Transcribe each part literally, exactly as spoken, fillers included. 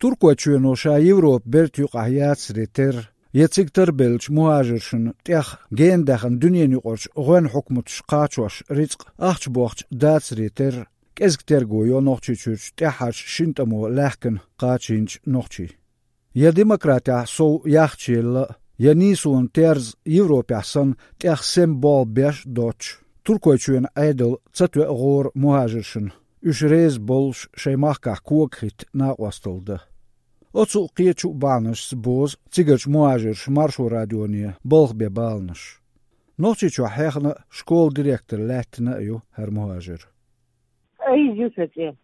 Туркойчоьно ша Европа берта юкъахь яцаре терра, я цига тарбеллачу мухӀажаршна тӀех гена даьхна дуьненаюкъарчу гӀоьнна хьукматаш кхачош рицкъ ахча бохча дацаре терра, кӀезиг терго йо Нохчийчуьрчу тӀаьххьарчу шина тӀамо лаьхкина кхачийначу нохчийн. Я демократехь сов яхчаелла а, я нийсонан терза Европехь санна тӀех сема болх беш а доцуш, Туркойчоьнан Ӏедал ца тоьа гӀора мухӀажаршна, уьш реза боллуш шайн махкахь кога хӀитта накъосталла дан. Оцу а, кхечу а бахьанашца бозу цигарчу мухӀажарша Маршо радионе балха бен баланаш. Нохчийчохь хьехна а, школан директор лаьттина а ю хӀара мухӀажар. Айза ю сан цӀе.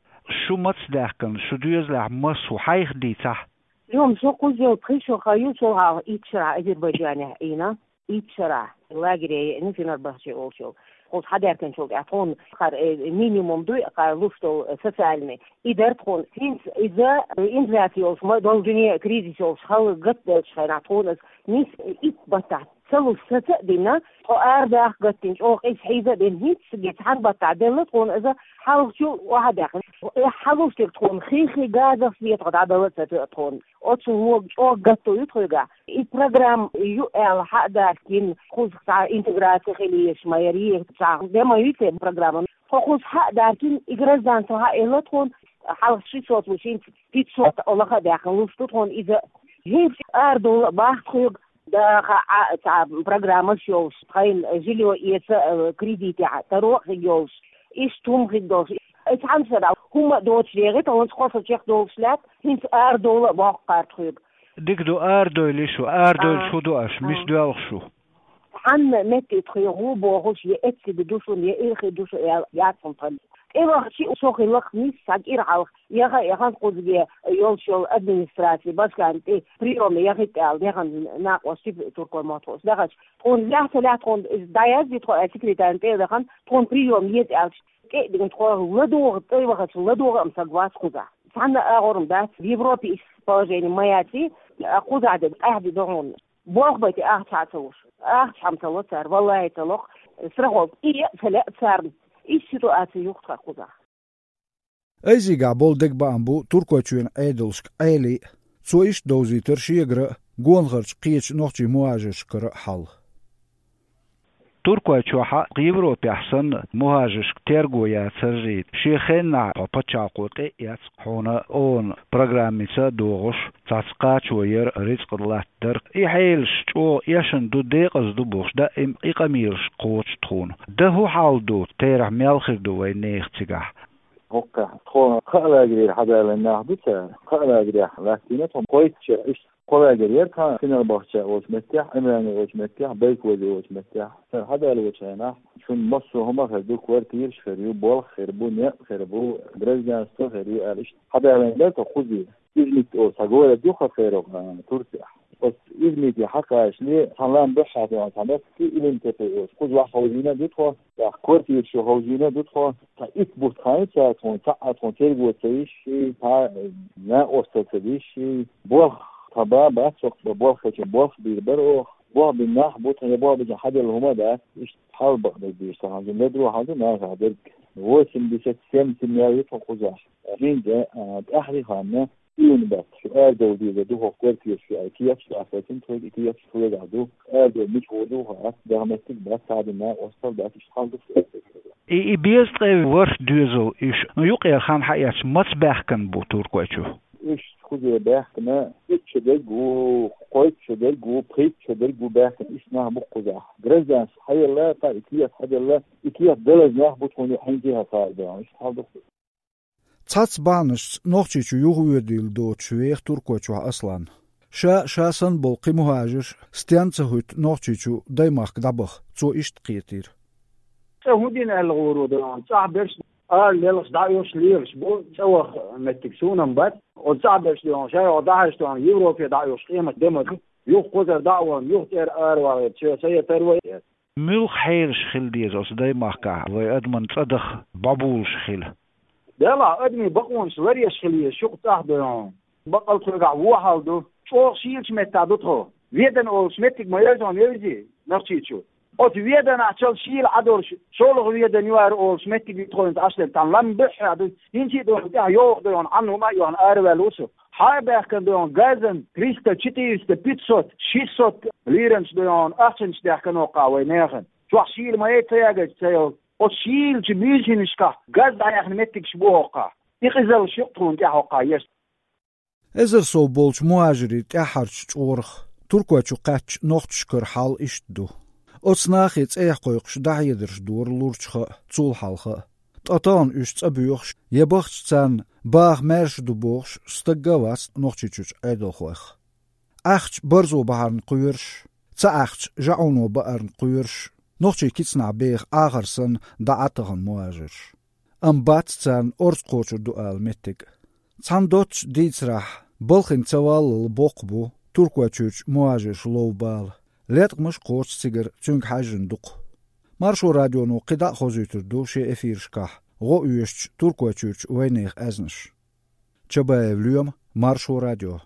Шу маца даьхкина, шу доьзалехь маса ву, хьайх дийцахь? Йо, со кхузза йолу пхи шо хан ю, со хьалха итт шарахь Азербайджанехь Ӏийна. Итт шарахь лагере еана Фенербахче олучу. Кхуза хьадаьхкинчул тӀаьхьа тхуна кхара, э, минимум дуй, кхара луш долу, э, социальный. И дара тхуна. ХӀинца иза, э, инфляция йолуш, ма долу дуьне кризис йолуш, хала гатделлачу хенахь тхуна иза нис, э, итт баттахь ца луш саца а дина, тхо арадахка гатдина, чӀогӀа иза хьийза а дина, хӀинццаге цхьана баттахь делла тхуна иза, хьалхачул охьа а даьккхина. Э, хьалуш дерг тхуна хи-хи газах, светах дӀадала а ца тоьа тхуна. Оцу вога чӀогӀа гатто ю тхоьгахь. И программа ю аьлла хьа а даьхкина, кхуза цхьа интеграция хила езаш ма яра, цхьа де ма ю те программа. Тхо кхуза хьа а даьхкина, и гражданство хьа а елла тхуна, хьалха ши сот ву, хӀинца пятьсот лаха а даьхкина луш ду тхуна иза. ХӀинца арадовла а боху тхоьга, даха а цхьа программаш йолуш, тхайна жильё эца а, кредитехь таро а хиг йолуш, иштта хӀума хиг долуш. Ай цхьана шарахь хӀумма а доцуш дегӀи, тхуна кхо шо чекхдолуш лаьтта, хӀинца арадовла а боху кхара тхоьга. Дика ду, арадойла шу, арадойлуш хӀун ду аша, мис доьлху шу? Цхьанна метте тхоьгахь ву бохуш, я эцциг ду шуна, я ирхи ду шу аьлла, яц хӀума тхан. ТӀевахча а со хилла-кх нисса кӀира хьалха, яха а яхана кхузге йолуш йолу администраци, башкарна тӀе приёме яхийта аьлла, яхана накъостий туркойн махкахь дахча. Тхуна лаьцна, лаьцна тхуна иза дӀаязде тхо аьлла, секретарна тӀе а дахана, тхуна приём еза аьлла, тӀе а дигна тхо ладогӀа, тӀе вахача ладогӀа а ма саг вац кхузахь. Цхьанна а агӀор ма дац, в Европе иштта положение ма яций, кхузахь де къаьхьа де ду хьуна. Болх бай те ахча а ца луш. Ахча хьан ца ло цара, валлахӀи, ца ло-кх, страховка тӀе а ца лаьа царна. Иштта ситуация ю-кх тхан кхузахь. Айзигахь болу дегабаам бу Туркойчоьнан Ӏедалшка Ӏелин а. Цо иштта довзийтира шегара а, гонахарчу кхечу нохчийн мухӀажаршкара а хьал. Туркойчохь а, Европехь санна, мухӀажаршка терго яцарий, шен хеннахь хьо пачхьалкхо тӀе а эцна хьуна ООН программица а догӀуш, цхьацца кхачо яр, рицкъ латтадар. И хьелаш чӀогӀа эшна ду, декъаза ду бохуш, даим и къамелаш кхочу тхуна. Дан хӀун хьал ду, терахь мел хир ду вайн нехан цигахь? ХӀоккхехь тхо кхаа лагерера хьадалийна нах ду цара. Кхаа лагерехь латтийна тхо кхойтта шо, иштта кхо лагерь яра тхан, Фенербахче олучу меттехь, Ӏимране олучу меттехь, Байкозе олучу меттехь. Цара хьадалочу хенахь шуна массо а хӀума хир ду, квартираш хир ю, болх хир бу, некъ хир бу, гражданство хир ю аьлла, иштта хьадалийна дара тхо кхузе. Измит олу цхьа город ю-кх хӀокху Турцехь. Оцу Измите хьакхачале, цхьана лам дуьххьара тхуна цхьа меттиг, Илимтепе олуш, кхуза охьаховзийна а ду тхо, тӀаккха квартираш чу ховзийна а ду тхо. Цхьа итт бутт хан ю цара тхуна, цхьа а тхуна терго ца йиш, цхьа а накъостал ца диш, болх тхан бан бац, хӀокху болх хилча болх бийр бара оха. Болх бина нах бу тхан, я болх бина хьаделла хӀума а дац, иштта хьал бакъдерг дийш ца хьан, ледро хьал ду нахах дерг. Восемьдесят семь семья ю тхо кхузахь. ХӀинца, а, тӀаьхьарий ханна, июнь баттахь шу арадовла дезар ду хӀокху квартирашка аьлла, кехаташ а латтийна тхоьга, и кехаташ тхоьгахь ду. Арадовла мича гӀур ду хац, дагахь меттиг бац, цхьа а дина накъостал дац, иштта хьал ду. И, и беза ткъе ворхӀ доьзал уьш, ну, юккъера хан хьаэцча, маца баьхкина бу Туркойчу? Уьш кхузе баьхкина итт шо дерг ву, кхойтта шо дерг ву, пхийтта шо дерг ву баьхкина, иштта нах бу кхузахь. Гражданство хьаелла, кхин и кехат хьаделла, и кехат далаза нах бу тхуна хьаьнга а хьалха баьхна, иштта хьал ду. Цхьацца бахьанашца Нохчийчу юхавоьдийла доцуш веха Туркойчохь Аслан. Ша а, ша санна болу кхин мухӀажарш а стенна ца хӀуьтту Нохчийчу даймахка дӀабаха, цо иштта кхетийра. ЦӀа хӀун дина аьлла гӀур ву ду, цӀахь берш ара лелхаш, дӀа а оьхуш лелаш бу, цӀа ваха меттиг суна-м бац. Оцу цӀахь берш ду, ша йогӀу дӀахьаьжча ду, Европе дӀа а оьхуш къемат де ма ду. Юха кхузара дӀа а вахана, юха тӀера аравала, чоь са я тарвай. Муьлха хьелаш хила деза оцу даймахкахь вай адаман цӀа даха бӀобулуш хила? Делахь, адамийн бакъонаш ларъеш хила еза, шу-кх цӀахь ду хьуна. Баккъал тхоьгахь вон хьал ду. ЧӀогӀа шийлачу меттехь ду тхо. Ведана олуш меттиг ма яра тхуна, Невзи, Нохчийчу. Оцу Веданахьчул шийла Ӏа долуш, шолгӀа Ведана ю ара олуш меттиг ю тхо хӀинца Ӏаш дерг, тхан лам буьххьехь ду. ХӀинца а ду хьуна тӀехь, йогӀу ду хьуна, Ӏанна хӀума а ю хьуна, араваьлла ву со. Хьа а баьхкина ду йоӀан газан триста, четыреста, пятьсот, шестьсот лиранаш ду йоӀан ахчанаш даьхкина хьокха вай нахана. Чохь шийла ма яй ца ягийта ца йолу. Оцу шийлачу муьйсанашкахь газ дӀаяьхна меттигаш бу хьокха. И къизаллаш ю-кх тхуна тӀехь хьокха еш. Эзар сов болчу мухӀажирийн тӀаьххьарчу чкъурах Туркойчу кхаьчча нохчашкара хьал иштта ду. Оцу нахе цӀехьа кхойкхуш дӀахьедарш дора лурчу хан а, цул хьалха а. Ткъа тахана уьш цӀа боьхуш я бахча царна баха маьрша ду бохуш стагга а вац Нохчийчуьрчу Ӏедалхойх. Ахча барзо бахьарна кхоьруш, ца ахча жаӀуно баарна кхоьруш, нохчийн кицанахь беха Ӏахар санна дӀа Ӏа тахана мухӀажирш. Амма бац царна орца кхочур ду ала меттиг. Цхьана доццуш дийцарахь, балхана ца валлал боккха бу Туркойчуьрчу мухӀажирша лов бала. Леткъамаш а кхочу цигара цуьнга хьаьжжина дукха. Маршо радионо кхидӀа а хозуьйтур ду шен эфирашкахь гӀо оьшучу Туркойчуьрчу вайнехан аьзнаш. Чабаев Лоьма, Маршо радио.